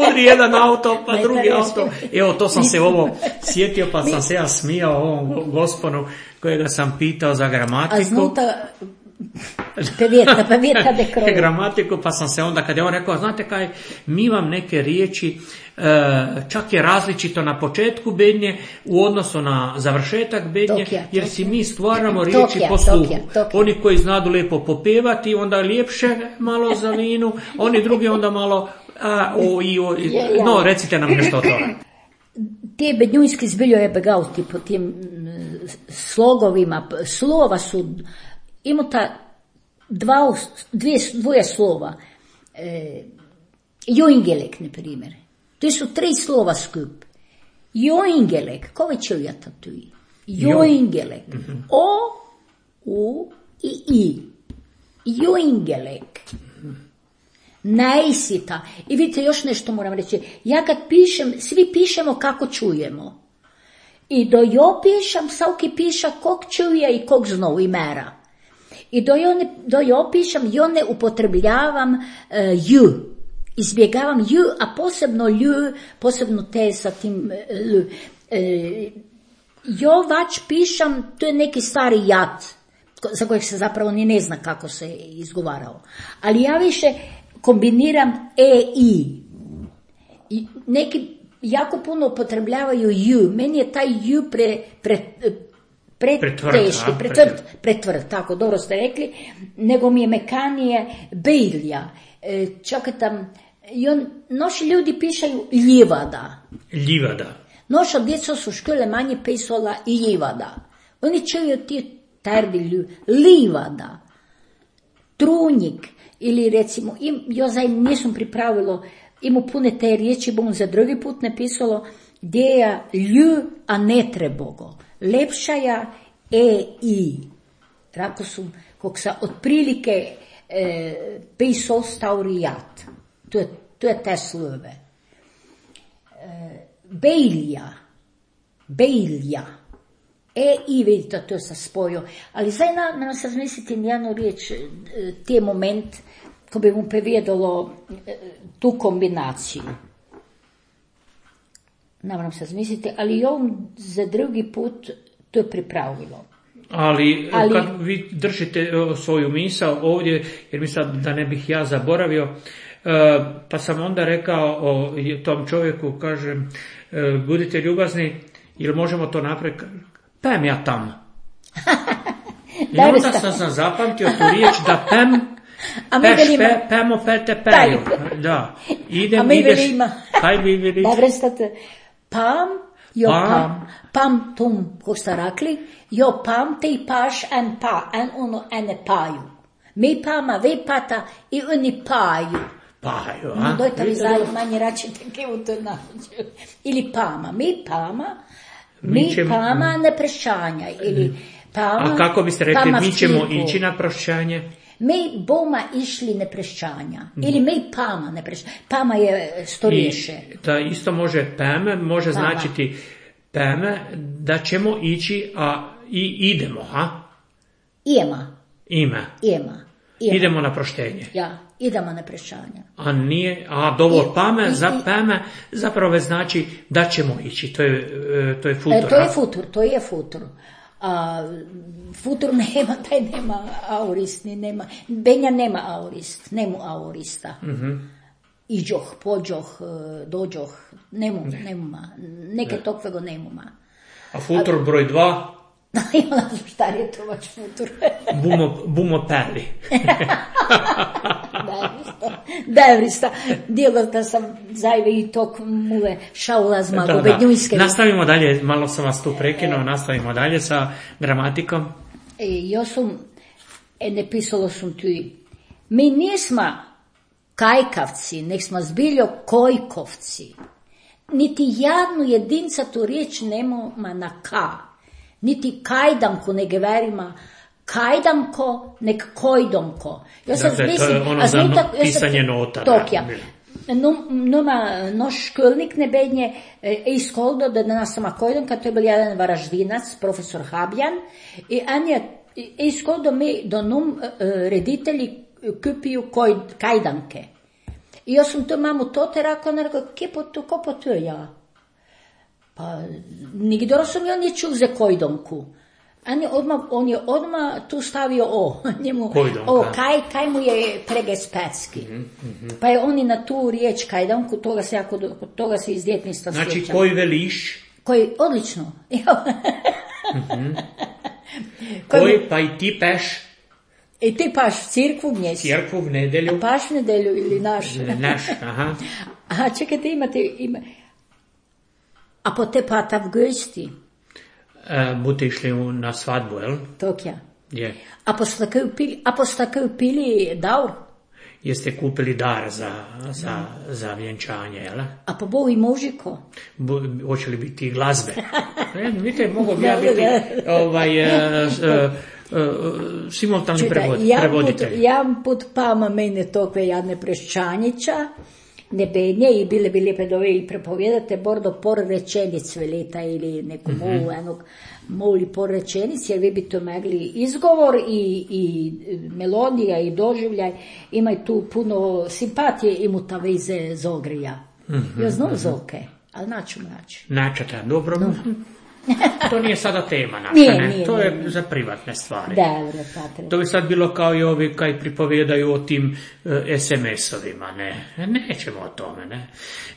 Udri jedan auto, pa drugi auto. Evo, to sam se ovo sjetio, pa sam se ja smijao ovom gosponu kojega sam pitao za gramatiku. A znuta pevjeta, pevjeta de kroju. Gramatiku, pa sam se onda, kad je on rekao, znate kaj, mi vam neke riječi, čak je različito na početku bednje u odnosu na završetak bednje, tokija, jer si mi stvaramo riječi tokija, po sluhu. Tokija, tokija. Oni koji znadu lijepo popevati, onda ljepše malo za vinu, oni drugi onda malo, a, o, i, o, i, no, recite nam nešto o tome. Te bednjujski zbiljo je begauti po tim slogovima, slova su, ima ta dva, dvije, dvoje slova, e, joingelek, na primjer. To su tri slova skup. Joingelek, ko vi čujete tu? Joingelek. Mm-hmm. O, U i I. Joingelek. Najsita. I vidite, još nešto moram reći. Ja kad pišem, svi pišemo kako čujemo. I do jo pišem, svaki piša kog čuje i kog znao i mera. I do jo, ne, do jo pišem, jo ne upotrebljavam uh, ju. Izbjegavam ju, a posebno lju, posebno te sa tim lju. E, jo vač pišem, to je neki stari jat, za kojeg se zapravo ni ne zna kako se izgovarao. Ali ja više kombiniram e, i. I neki jako puno upotrebljavaju ju. Meni je taj ju pre, pre, pre, preteški, pretvrd, pretvrd, tako dobro ste rekli, nego mi je mekanije bejlja. E, čak tam, i on, noši ljudi pišaju ljivada. Ljivada. Noša djeca su škole manje pisala ljivada. Oni čuju ti tardilju, livada, trunjik, ili recimo, im, jo zaj nisam pripravilo, imu pune te riječi, bom za drugi put napisalo, gdje je lju, a ne trebogo. Lepšaja e, i. Rako su, kog sa otprilike e, pisao staurijat. To je, to je te slove. E, bejlja, bejlja. E, i vidite, to sam spojio. Ali zdaj nam na se razmisliti njeno riječ, te moment, ko bi mu prevedalo tu kombinaciju. Ne moram se razmisliti, ali on za drugi put to je pripravilo. Ali, Ali- kad vi držite o, svoju misao ovdje, jer mi sad da ne bih ja zaboravio, e, pa sam onda rekao o tom čovjeku, kažem, e, budite ljubazni, ili možemo to napraviti, pem ja tam. I Da, onda da. sam, sam zapamtio tu riječ da pem, A mi peš, velimo- pe, pemo, pete, peju. Da. Idem, A mi ideš, velimo- kaj vi velite? Dobro state. Pam, jo Pam. pam. Pam tum, ko ste rekli, jo pam, te paš en pa, en ono ene paju. Mi pama, vi pata i oni paju. Paju, No, a? dojte vi Vidite, znaju manje račite u to nađu. Ili pama, mi pama, Mi mi ćemo- pama ne prešanja. Ili pama, A kako biste rekli, pama mi ćemo skipu. ići na prošćanje? Mi boma išli ne prešćanja. Ili mi pama ne prešćanja. Pama je storiješe. I da isto može peme, može Pama. značiti peme, da ćemo ići, a i idemo, ha? Ijema, Ime. ijema, ijema. Idemo na proštenje. Ja, idemo na prešćanja. A nije, a dovo I- pame, i- za i- peme, zapravo znači da ćemo ići, to je, e, to je futur. E, to je ha? futur, to je futur. A, futur nema, taj nema aurist, ni nema, Benja nema aurist, nemu aurista. Mhm. Iđoh, pođoh, e, dođoh, nemu, nemuma, neke tokvego nemuma. A futur broj dva, Imala sam šta je to vaš futur. bumo, bumo peli. Devrista, dijelo da sam zajve i tok muve šaula zmago, Da, da. bednjujske. Nastavimo dalje, malo sam vas tu prekinuo, nastavimo dalje sa gramatikom. E, jo sam, e, ne pisalo sam tu, mi nismo kajkavci, nek smo zbiljo kojkovci. Niti jednu jedinca tu riječ nema na ka. Niti kajdanku ne geverima kajdanko, nek kojdomko. Ja sam Dakle, to je mislim, ono a za znam no- tak- ja sam- pisanje nota, Tok, da. ja. No, noma, naš školnik ne bednje e, iskoldo da nas sama kojdanka, to je bil jedan varaždinac, profesor Habjan, i on je iskoldo mi do num e, reditelji kupiju koj, kajdanke. I ja sam to mamu to te rekla, ona rekla, kje po to, ko po to ja? Pa, nigdje sam ja nije čuo za kojdomku. On je odmah, on je odmah tu stavio o, njemu, Kojdomka. o, kaj, kaj mu je pregespecki. Pa je on i na tu riječ kajdanku, toga se jako, do- toga se iz djetništva Znači, sjećam. koji veliš, Koji, odlično. koji pa i ti peš I ti paš v cirkvu mjesi. cjerkvu v nedelju, Paš v nedelju ili naš. naš, aha. A čekajte, imate, ima. A po te pata v gosti, E, Bute išli u- na svadbu, jel? tokja. Je. A postakaju pili, a postakaju pili daur, Jeste kupili dar za, za, za vjenčanje, jel? a po bogu i mužiko. Bu, hoće li biti i glazbe? E, vidite, mogu bi ja Da, da, biti ovaj, e, s- e, e, simultani Čutaj, prevod, jedan put, prevoditelj. jedan put pama mene tokve jadne preščanića, ne bednje i bile bi lijepe dove i prepovjedate bordo por rečenic velita ili neku Mhm. molu, enog moli por rečenic, jer vi bi to mogli izgovor i, i melodija i doživljaj, ima i tu puno simpatije i mu ta veze zogrija. Mhm, Ja znam zoke, ali naću naći. Načata, dobro. To nije sada tema naša, Nije, ne? nije, to je nije. za privatne stvari. Dobro, patre. To bi sad bilo kao i ovi kaj pripovjedaju o tim e, es em es-ovima, ne, nećemo o tome, ne.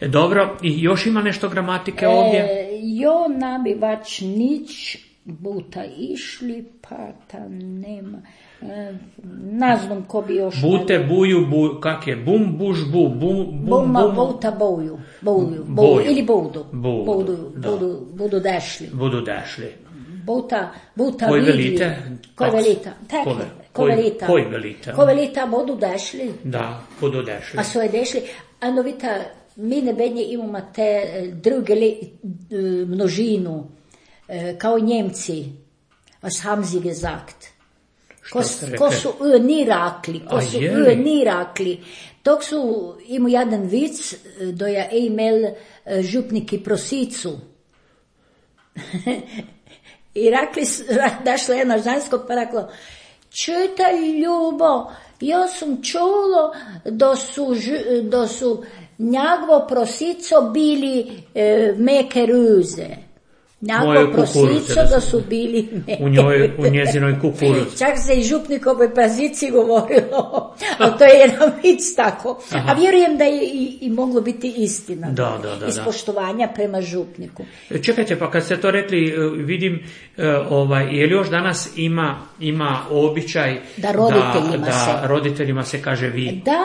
E, dobro, i još ima nešto gramatike ovdje? E, jo nabivač nič buta išli, pa ta nema. E, ne znam ko bi još... Bute, buju, bu, kak je, bum, buš, bu, bum, bum, Buma, bum, buta, boju. Boju, Boju. boju. Ili budu. Budu, Budu, da. budu, budu dešli. budu dešli. Buta, buta Koji vidli. velite? Koji Kako? velita? Tako, Kove? ko Koji- velita. koji velite? Ko velita budu dešli. Da, budu dešli. A so je dešli. Ano vita, mi ne bednje imamo te e, druge li, e, množinu, e, kao Njemci. Was haben sie gesagt? Ko, ste rekli? ko su ö ni rakli, ko A su je ö li? ni rakli. Tok su imao jedan vic, e, do ja imel e, župniki prosicu. I rakli, su- ra- dašla jedna žensko pa rekla, čutaj ljubo, ja sam čulo da su, ž- da su njagovo prosico bili e, meke ruze. Mojoj Nako kukuruze prosico da da su- su bili ne. U njoj, u njezinoj kukuruzi. Čak se i župnikovoj pazici govorilo, ali to je jedan vic tako. Aha. A vjerujem da je i, i moglo biti istina. Da, da, da, Iz da. poštovanja prema župniku. Čekajte, pa kad ste to rekli, e, vidim, e, ovaj, je li još danas ima, ima običaj Da roditeljima da, da se- roditeljima se kaže vi? Da,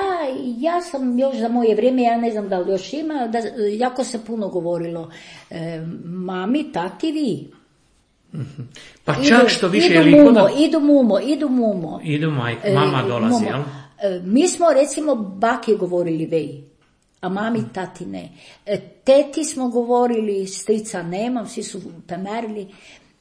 ja sam još za moje vrijeme, ja ne znam da li još ima, da jako se puno govorilo. E, mami, tati, vi. Pa čak što više, je idu li mumo, kod- idu mumo, idu mumo. Idu majka, E, mama dolazi, mumo. jel? E, mi smo recimo baki govorili vej, a mami tati ne. E, teti smo govorili, strica nemam, svi su pemerili,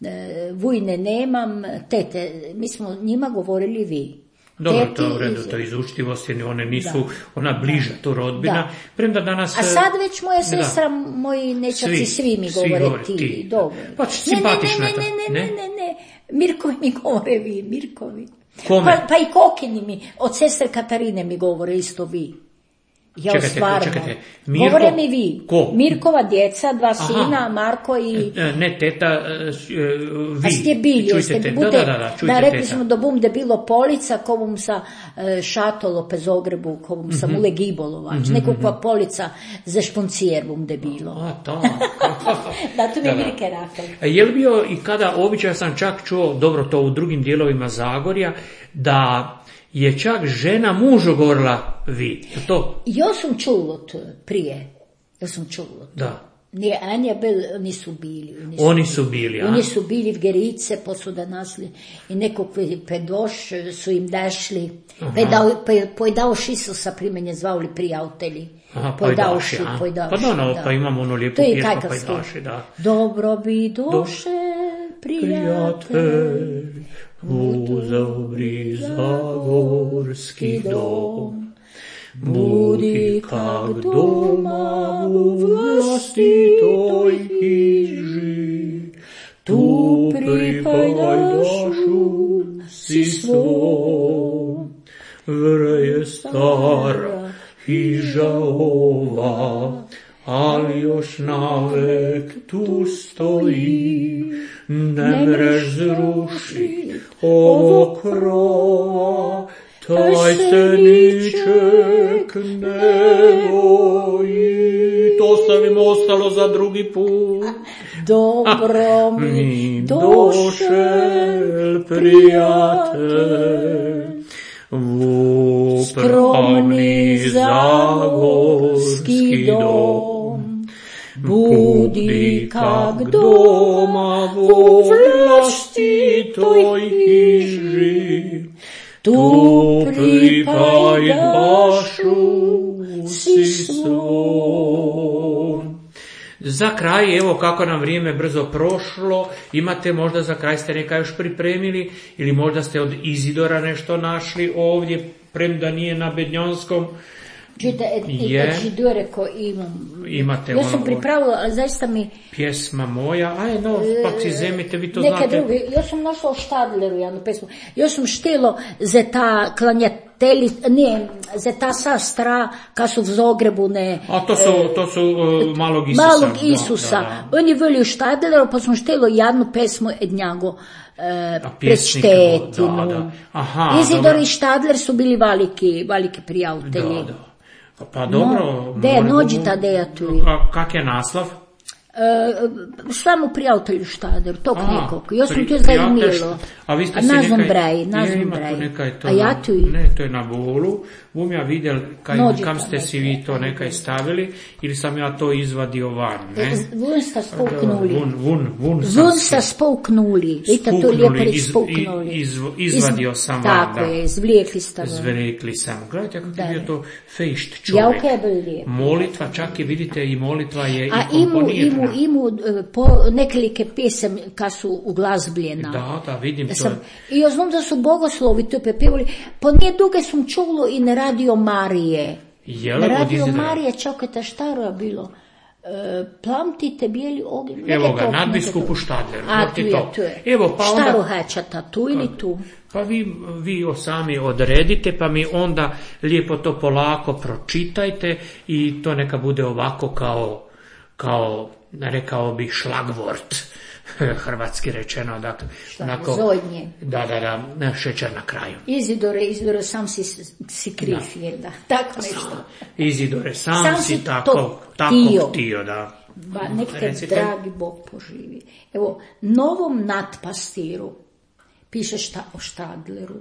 e, vujne nemam, tete, mi smo njima govorili vi. Dobro, Teti to je u redu, iz- to je iz učtivosti, one nisu, Da. ona bliža tu rodbina. Da. Premda danas... A e, sad već moja da. sestra, moji nečaci, Svi- svi, mi svi govore govore ti. ti. Dobro. Pa, Ne, simpatično ne, je to, ne, ne, ne? ne, ne, ne. Mirkovi mi govore vi, Mirkovi. Kome? Pa, pa i Kokini mi, od sestre Katarine mi govore isto vi. Ja Čekajte, stvarno. čekajte, Mirko- Govore mi vi. Ko? Mirkova djeca, dva Aha. sina, Marko i... E, Ne, teta, e, s- e, vi. A ste bili, Čujte, jeste te- bude, da, da, da, da, čujte, da rekli teta. smo da bum da bilo polica, ko bum sa e, šatolo pe Zogrebu, ko bum sa Mhm. mule gibolovač, nekakva polica za šponcijer bum da bilo. A, to. Da, to mi Da, je da. Mirke rekao. E, Je li bio i kada, običaj sam čak čuo, dobro to u drugim dijelovima Zagorja, da je čak žena mužu govorila vi. Je to? Ja sam čulo to prije. Ja sam čulo. Da. Nije Anja bil, oni su bili. Oni su, Oni su bili, a? Oni su bili v Gerice, pa su da nasli i nekog pedoš su im dešli. Pojedavši su sa primenje zvali prijatelji. Aha, pojdaši, a? pojdaši, Pa da, no, da. pa imamo onu lijepu To je pjesmu kajkavski. pojdaši, da. Dobro bi doše, prijatelj, Prijatelj, u dobri zagorski dom, budi kak doma u vlastitoj hiži, tu pripajdašu si svom. Vre je stara hiža ova, ali još navek tu stoji, ne mreš zruši ovo krova, taj se niček ne boji. To sam im ostalo za drugi put. dobro mi Mi doše, došel prijatelj, u skromni zagorski dom. Budi kak doma u vlastitoj hiži, tu pripajdašu si svom. Za kraj, evo kako nam vrijeme brzo prošlo, imate možda za kraj ste neka još pripremili ili možda ste od Izidora nešto našli ovdje, premda nije na Bednjonskom. Čujte, Je. Židore ko imam. Imate Ja sam ono- pripravila, ali zaista mi... Pjesma moja, aj no, pak si zemite, vi to Neke znate. druge, ja sam našla u Štadleru jednu pesmu. Ja sam štelo za ta klanjateli, ne, za ta sestra, ka su v Zogrebu, ne... A to su, to su uh, malog Isusa. Malog da, Isusa. da, da. On je bili u Štadleru, pa sam štelo jednu pesmu od njega. E, A pred pjesnik, Štetinu. da, da. Aha, Izidor dobro. i Štadler su bili veliki, veliki prijatelji. Da, da. Pa dobro. No, de, molim- nođi ta deja tu. Ka- Kak je naslov? E, samo prijatelju Štader, tog Aha, nekog. Ja sam pri- tu prijatelj zanimljivo. šta- A vi ste A si nazvam nekaj... Brej, Je, nazvam ima tu Brej. nekaj to A ja na- tu i- Ne, to je na bolu. Bum ja vidjel kaj, Nođi kam to ste si nekaj. vi to nekaj stavili ili sam ja to izvadio van, ne? Vun sta spolknuli. Vun, vun, vun sam Vun si- sta spolknuli. Vidite, to Spuknuli, lijepo reći iz- spolknuli. i- iz- izvadio sam van, Tako da. je, izvlijekli ste van. Zvrekli sam. Gledajte kako Da. je bio to fejšt čovjek. Jauka je bilo lijepo. Molitva, čak i vidite i molitva je A i imu, komponirana. imu, imu e, po nekolike pjesem ka su uglazbljena. Da, da, vidim to. Sam, I ja znam da su bogoslovi to pepevali, pa nije duge sam čulo i na Radio Marije. Jel, Na od Radio Izraela? Marije, čekajte, štaro je bilo. E, plamtite bijeli ognjen. Evo neke ga, to- nadbiskupu neke to. Štadleru, A, to tu ti je, to. tu je. Evo, pa onda- Štaro hečata, tu ili tu? Pa vi, vi o sami odredite, pa mi onda lijepo to polako pročitajte i to neka bude ovako kao kao, rekao bih, šlagvort, hrvatski rečeno, dakle, onako, zodnje. Da, da, da, šećer na kraju. Izidore, Izidore, sam si, si kriv, da. Je, da, tako nešto. Izidore, sam, sam si tako, tako htio, da. Ba, nek te Recite. Dragi Bog poživi. Evo, novom nadpastiru, piše šta o Štadleru.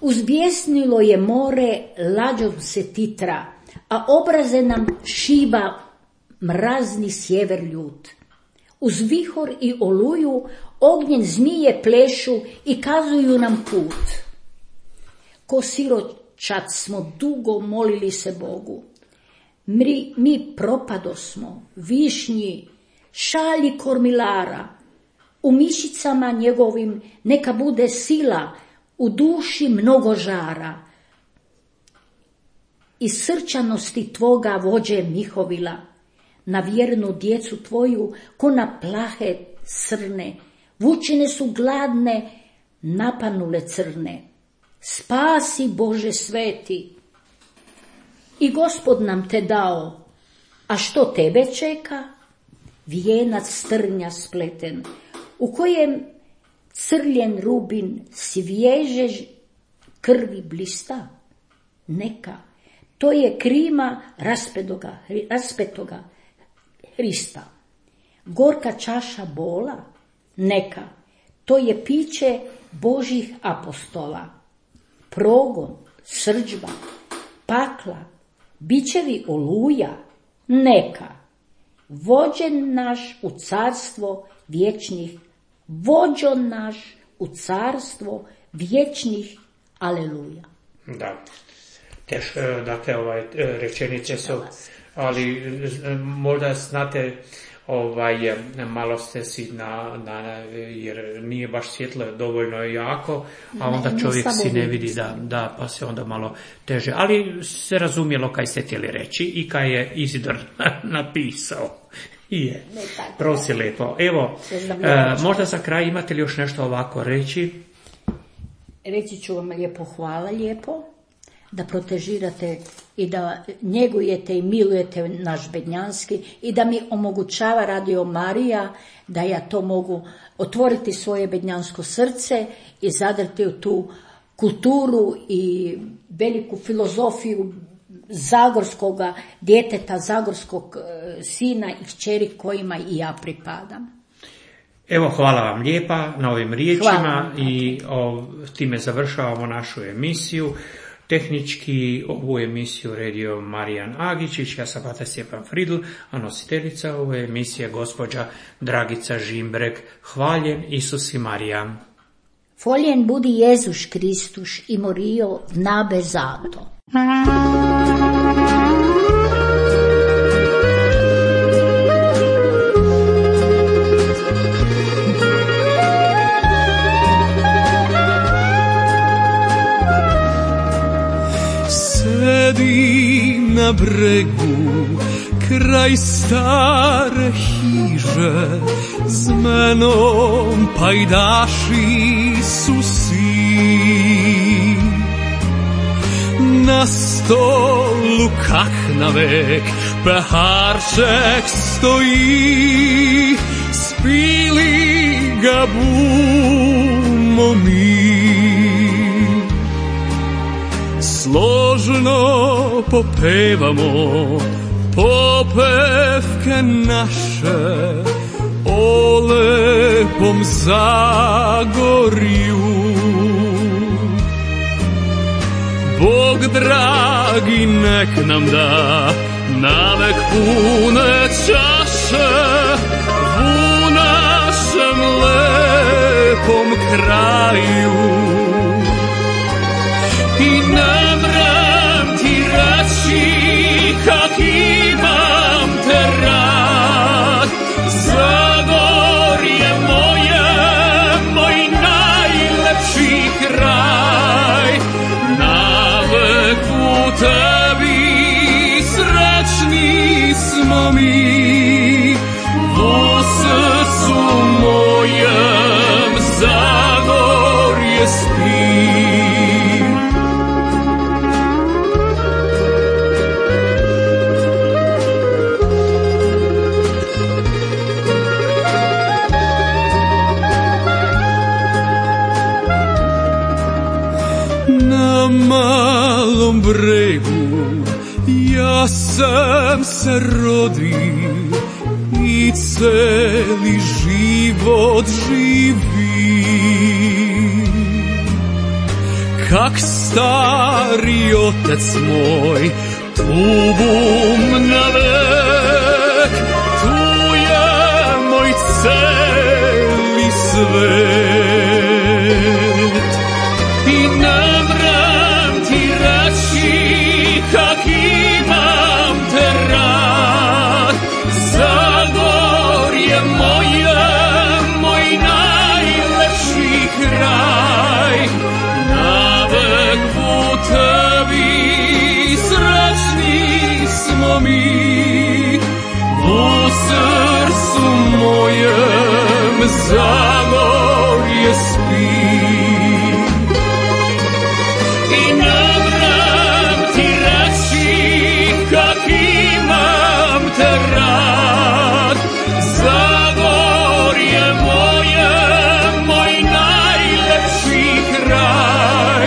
Uzbjesnilo je more, lađom se titra, a obraze nam šiba mrazni sjever ljut. Uz vihor i oluju ognjen zmije plešu i kazuju nam put. Ko siročad smo dugo molili se Bogu. Mi, mi propadosmo, višnji, šalji kormilara. U mišicama njegovim neka bude sila, u duši mnogo žara. Iz srčanosti tvoga vođe Mihovila, na vjernu djecu tvoju, ko na plahe crne, vučine su gladne, napanule crne. Spasi Bože sveti. I Gospod nam te dao, a što tebe čeka? Vijenac strnja spleten, u kojem crljen rubin svježe krvi blista. Neka, to je krima raspetoga, raspetoga Hrista. Gorka čaša bola, neka, to je piće Božih apostola. Progon, srdžba, pakla, bićevi oluja, neka. Vođen naš u carstvo vječnih, vođon naš u carstvo vječnih, aleluja. Da, teško, dakle, ovaj, rečenice su, ali možda znate, ovaj, malo ste si na, na, jer nije baš svjetlo dovoljno jako, a onda ne, čovjek si ne vidi, da, da, pa se onda malo teže. Ali se razumjelo kaj ste htjeli reći i kaj je Izidor napisao. Je, prosi lijepo. Evo, e, možda za kraj imate li još nešto ovako reći? Reći ću vam lijepo, hvala lijepo, da protežirate i da njegujete i milujete naš bednjanski i da mi omogućava Radio Marija da ja to mogu otvoriti svoje bednjansko srce i zadrti u tu kulturu i veliku filozofiju zagorskoga djeteta, zagorskog sina i kćeri kojima i ja pripadam. Evo, hvala vam lijepa na ovim riječima i o, time završavamo našu emisiju. Tehnički ovu emisiju redio Marijan Agičić, ja sam Pater Stjepan Fridl, a nositeljica ove emisije gospođa Dragica Žimbrek. Hvaljen Isus i Marija. Foljen budi Jezus Kristus i morio nabe zato. Sedim na bregu kraj stare hiže, s menom pajdaši su svi. Na stolu kak navek peharček stoji, spili ga bumo mi. Složno popevamo popevke naše o lepom Zagorju. Bog dragi nek nam da navek pune čaše u našem lepom kraju. I ne mrem ti reći kak imam te rad, Zagorje moje, moj najlepši kraj. Navek u tebi srećni smo mi, u srcu mojem Zagorje spi. se rodi i celi život živi. Kak stari otec moj, tubum navek, tu je moj celi svet. I ne mrem ti reći kak imam te rad, Zagorje moje, moj najlepši kraj. Navek u tebi srećni smo mi, u srcu mojem Zagorje spi. I ne mrem ti reći kak imam te rad, Zagorje moje, moj najlepši kraj.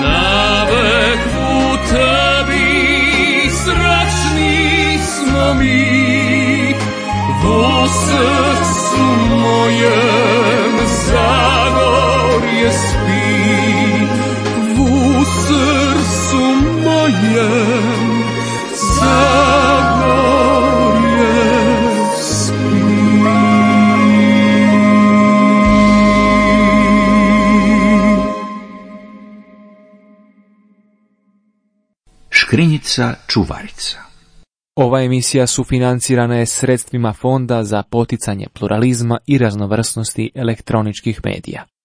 Navek u tebi srećni smo mi, u srcu mojem Zagorje spi. U srcu mojem Zagorje spi. Škrinjica čuvarica. Ova emisija sufinancirana je sredstvima Fonda za poticanje pluralizma i raznovrsnosti elektroničkih medija.